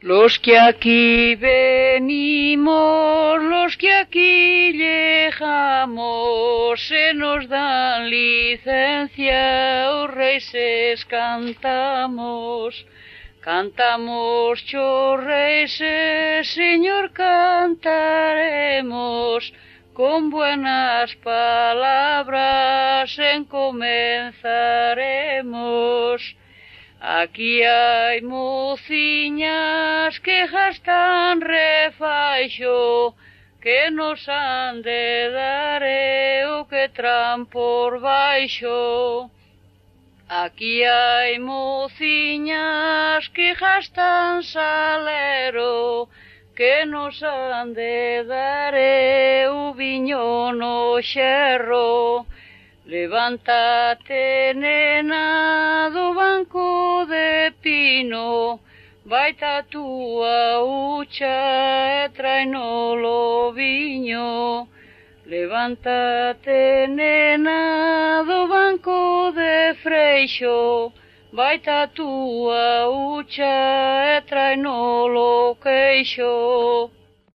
Los que aquí venimos, los que aquí llegamos, se nos dan licencia, os reises cantamos. Cantamos, chorreises, Señor, cantaremos, con buenas palabras encomenzaremos. Aquí hai mociñas que gastan refaixo, que nos han de dar o que tran por baixo. Aquí hai mociñas que gastan salero, que nos han de dar o viño no xerro. Levántate, nena, do banco de pino, baita a túa ucha e trainolo viño. Levántate, nena, do banco de freixo, baita a túa ucha e trainolo queixo.